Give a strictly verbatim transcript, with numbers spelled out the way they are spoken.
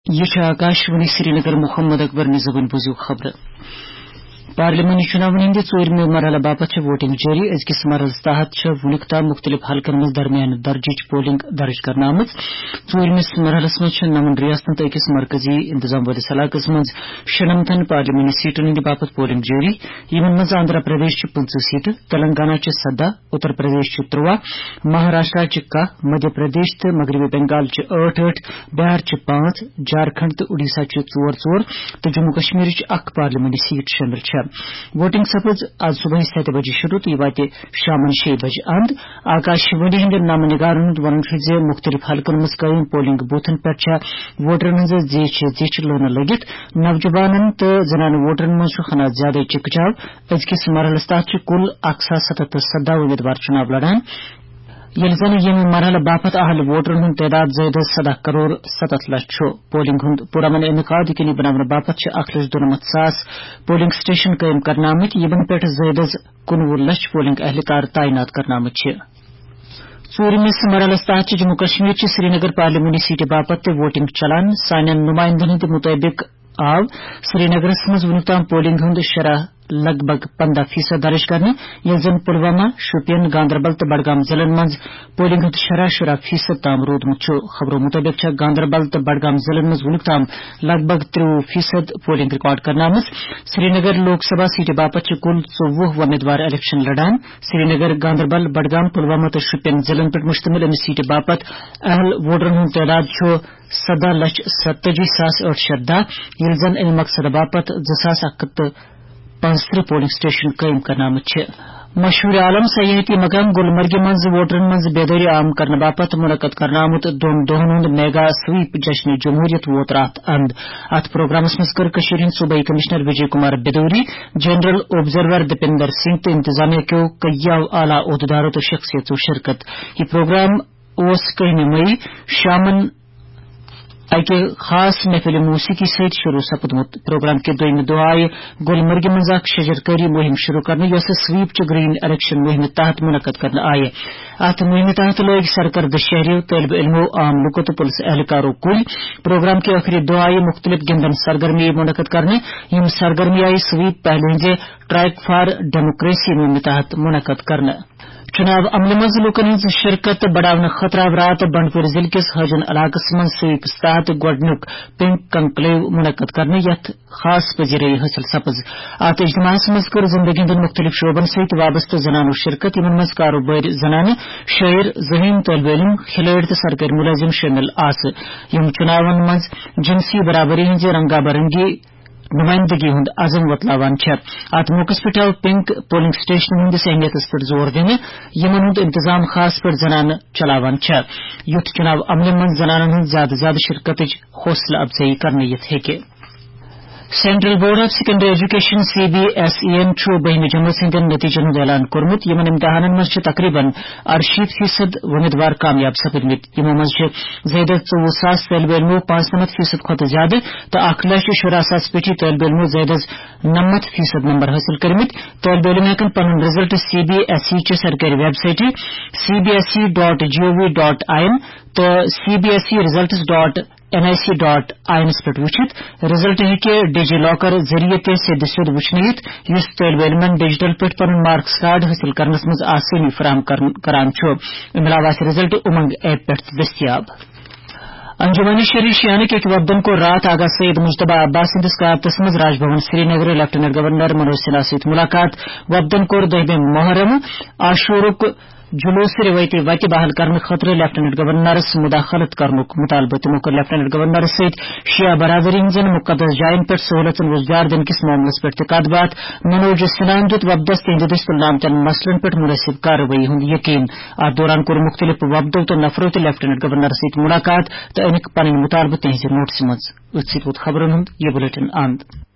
یہِ چھُ آکاشوانی سرینگر۔ محمد اکبر نِزوٕنۍ بوٗزِو خبرٕ۔ پارلیمانی چُناون ہٕنٛدِ ژوٗرمہِ مرحلہٕ باپتھ چھےٚ ووٹنگ جٲری۔ أزکِس مرحلَس تحت چھےٚ وُنیُک تام مُختٔلِف حلقن منٛز درمیانہٕ درجٕچ پولنگ درٕج کرنہٕ آمٕژ۔ ژوٗرمِس مرحلَس منٛز چھےٚ نَوَن ریاستن تہٕ أکِس مرکزی انتظام وٲلِس علاقس منٛز شُنَمتھن پارلیمانی سیٹن ہٕنٛدِ باپتھ پولنگ جٲری، یِمن منٛز آندھرا پردیش چھِ پٕنٛژٕہ سیٹہٕ، تلنگانہ چھِ سداہ، اتر پردیش چھِ ترُواہ، مہاراشٹرا چھِ کاہ، مدھیہ پردیش تہٕ مغربی بنگال چھِ ٲٹھ ٲٹھ، بہار چھِ پانٛژھ، جھارکھنڈ تہٕ اُڈیسہ چھِ ژور ژور تہٕ جموں کشمیرٕچ اکھ پارلیمانی سیٹ شٲمِل چھےٚ۔ ووٹنگ سپٕز آز صبحٲے ستہِ بجہِ شروع تہٕ یہِ واتہِ شامن شیٚیہِ بجہِ اند۔ آکاشوانی ہٕنٛدٮ۪ن نامہ نگارن ہُنٛد ونُن چھُ زِ مُختٔلِف حلقن منٛز قٲیِم پولنگ بوتھن پٮ۪ٹھ چھےٚ ووٹرن ہٕنٛز زیچھِ زیچھِ لٲنہٕ لٔگِتھ۔ نوجوانن تہٕ زنانہٕ ووٹرن منٛز چھُ ہنا زیادَے چِکہٕ چاو۔ أزکِس مرحلَس تحت چھِ کُل اکھ ساس ستھ ہتھ تہٕ سداہ امیدوار چُناو لڑان، ییٚلہِ زَن ییٚمہِ مرحلہٕ باپتھ اہل ووٹرن ہُنٛد تعداد زٲیدٕ سداہ کرور ستتھ لچھ چھُ۔ پولنگ ہُنٛد پُرامن انعقاد یقینی بناونہٕ باپتھ چھِ اکھ لچھ دُنَمَتھ ساس پولنگ سٹیشن قٲیِم کرنہٕ آمٕتۍ، یِمن پٮ۪ٹھ زٲیدٕ کُنوُہ لچھ پولنگ اہلکار تعینات کرنہٕ آمٕتۍ چھِ۔ ژوٗرمِس مرحلَس تحت چھِ جموں کشمیر چہِ سرینگر پارلیمانی سیٹہِ باپتھ تہِ ووٹنگ چلان۔ سانٮ۪ن نمائندن ہٕنٛدِ مُطٲبِق آو سرینگرس منٛز وُنیُک تام پولنگ ہُنٛد شرح لگ بھگ پندہ فیصد درج کرنہٕ، ییٚلہِ زن پلوامہ، شوپین، گاندربل تہٕ بڈگام ضلعن منٛز پولنگ ہُنٛد شرح شُراہ فیصد تام روٗدمُت چھُ۔ خبرو مُطٲبِق چھےٚ گاندربل تہٕ بڈگام ضلعن منٛز وُنیُک تام لگ بھگ ترٛوُہ فیصد پولنگ ریکارڈ کرنہٕ آمٕژ۔ سرینگر لوک سبھا سیٹہِ باپتھ چھِ کُل ژوٚوُہ امیدوار الیکشن لڑان۔ سرینگر، گاندربل، بڈگام، پلوامہ تہٕ شوپین ضلعن پٮ۪ٹھ مشتمل أمِس سیٹہِ باپتھ اہل ووٹرن ہُنٛد تعداد چھُ سداہ لچھ ستتٲجی ساس ٲٹھ شیٚتھ دَہ، ییٚلہِ زن اَمہِ مقصدٕ باپتھ زٕ ساس اکھ ہتھ تہٕ پانٛژترٕہ پولنگ سٹیشن قٲیِم کرنہٕ آمٕتۍ چھِ۔ مشہوٗر عالم سیاحتی مقام گلمرگہِ منٛز ووٹرن منٛز بیدٲری عام کرنہٕ باپتھ منعقد کرنہٕ آمُت دۄن دۄہن ہُنٛد میگا سویپ جشن جمہوریت ووت راتھ اند۔ اتھ پروگرامس منٛز کٔر کٔشیٖرِ ہٕنٛدۍ صوبٲئی کمشنر وجے کمار بیدوری، جنرل آبزرور دپیندر سنگھ تہٕ انتظامیہ کیو کئیو اعلیٰ عہدیدارو تہٕ شخصیژو شرکت۔ یہِ پروگرام اوس کٔہمہِ مئی شامن اکہِ خاص محفل موسیقی سۭتۍ شروع سپدمُت۔ پروگرام کہِ دوٚیمہِ دۄہ آیہِ گلمرگہِ منٛز اکھ شجرکاری مُہِم شروع کرنہٕ، یۄسہٕ سویپ چہِ گرین الیکشن مُہِمہِ تحت منعقد کرنہٕ آیہِ۔ اتھ مُہِمہِ تحت لٲگۍ سرکردٕ شہریو، طٲلبہِ علمو، عام لوٗکو تہٕ پُلسہٕ اہلکارو کُلۍ۔ پروگرام کہِ ٲخری دۄہ آیہِ مُختٔلِف گِنٛدن سرگرمی منعقد کرنہٕ۔ یِم سرگرمی آیہِ سویپ پہلہِ ہٕنٛزِ ٹریک فار ڈیموکریسی مُہِمہِ تحت منعقد کرنہٕ۔ چُناو عملہِ منٛز لوٗکن ہٕنٛز شرکت بڑاونہٕ خٲطرٕ آو راتھ بنڈپور ضلعہٕ کِس حٲجن علاقس منٛز سویپس تحت گۄڈٕنیُک پنک کنکلیو منعقد کرنہٕ، یتھ خاص پذیرٲیی حٲصِل سپٕز۔ اتھ اجتماعس منٛز کٔر زندگی ہٕنٛدٮ۪ن مُختٔلِف شعبن سۭتۍ وابستہٕ زنانو شرکت، یِمن منٛز کارٕبٲرۍ زنانہٕ، شٲعر، ذہین طٲلبہِ علم، کھلٲڑۍ تہٕ سرکٲرۍ مُلٲزِم شٲمِل آسہٕ۔ یِم چُناون منٛز جنسی برابری ہٕنٛزِ رنگا برنگی نمائندگی ہُنٛد عزم وۄتلاوان چھےٚ۔ اتھ موقعس پٮ۪ٹھ آو پنک پولنگ سٹیشنن ہٕنٛدِس اہمیتس پٮ۪ٹھ زور دِنہٕ، یِمن ہُنٛد انتظام خاص پٲٹھۍ زنانہٕ چلاوان چھےٚ، یُتھ چُناو عملہِ منٛز زنانن ہٕنٛز زیادٕ زیادٕ شرکتٕچ حوصلہٕ افزٲیی کرنہٕ یِتھ ہیٚکہِ۔ Central Board of Secondary Education, C B S E یَن چھُ بٔہمہِ جمٲژ ہٕنٛدٮ۪ن نتیجن ہُنٛد اعلان کوٚرمُت۔ یِمن امتحانن منٛز چھِ تقریباً اَرشیٖتھ فیصد وۄمیدوار کامیاب سپٕدمٕتۍ۔ یِمو منٛز چھِ زیادٕ ژوٚوُہ ساس طٲلبہِ علمو پانٛژنَمتھ فیصد کھۄتہٕ زیادٕ تہٕ اکھ لچھ شُراہ ساس پٮ۪ٹھی طٲلبہِ علمو زیادٕ از نَمَتھ فیصد نمبر حٲصِل کٔرمٕتۍ۔ طٲلبہِ علم ہٮ۪کن پنُن result C B S E چہِ سرکٲرۍ ویب سایٹہِ C B S E dot G O V dot I N تہٕ C B S E results dot N I C dot I اینس پٮ۪ٹھ وٕچھِتھ۔ رزلٹ ہیٚکہِ ڈی جی لاکر ذٔریعہٕ تہِ سیٚدِ سیوٚد وٕچھنہٕ یِتھ، یُس طٲلبہِ علمن ڈیجیٹل پٲٹھۍ پنُن مارکس کارڈ حٲصِل کرنس منٛز آسٲنی فراہم کرن-، کران چھُ۔ امہِ علاوٕ آسہِ رزلٹ اُمنگ ایپ پٮ۪ٹھ تہِ دٔستیاب۔ انجمن شری شیانٕکۍ أکۍ وفدن کوٚر راتھ آغا سید مجتبیٰ عباس سٕنٛدِس قیادتس منٛز راج بھون سرینگر لیفٹیننٹ گورنر منوج سنہا سۭتۍ مُلاقات۔ وفدن کوٚر دٔہمہِ محرم عاشورُک جلوس روایتی وتہِ بحال کرنہٕ خٲطرٕ لیفٹیننٹ گورنرس مداخلت کرنُک مطالبہٕ۔ تِمو کوٚر لیفٹیننٹ گورنرس سۭتۍ شیعہ برادری ہٕنٛزن مقدس جاین پٮ۪ٹھ سہولژن وۄزجار دِنہٕ کِس معاملس پٮ۪ٹھ تہِ کتھ باتھ۔ منوج سنہاہن دیُت وفدس تِہنٛدِ دٔسۍ تُلنہٕ آمتٮ۪ن مسلن پٮ۪ٹھ مناسب کاروٲیی ہُنٛد یقین۔ اتھ دوران کوٚر مُختٔلِف وفدو تہٕ نفرو تہِ لیفٹیننٹ گورنرس سۭتۍ مُلاقات تہٕ أنِکھ پنٕنۍ مُطالبہٕ تِہنٛزِ نوٹسہِ منٛز۔ أتھۍ سۭتۍ ووت خبرن ہُنٛد یہِ بلیٹن اند۔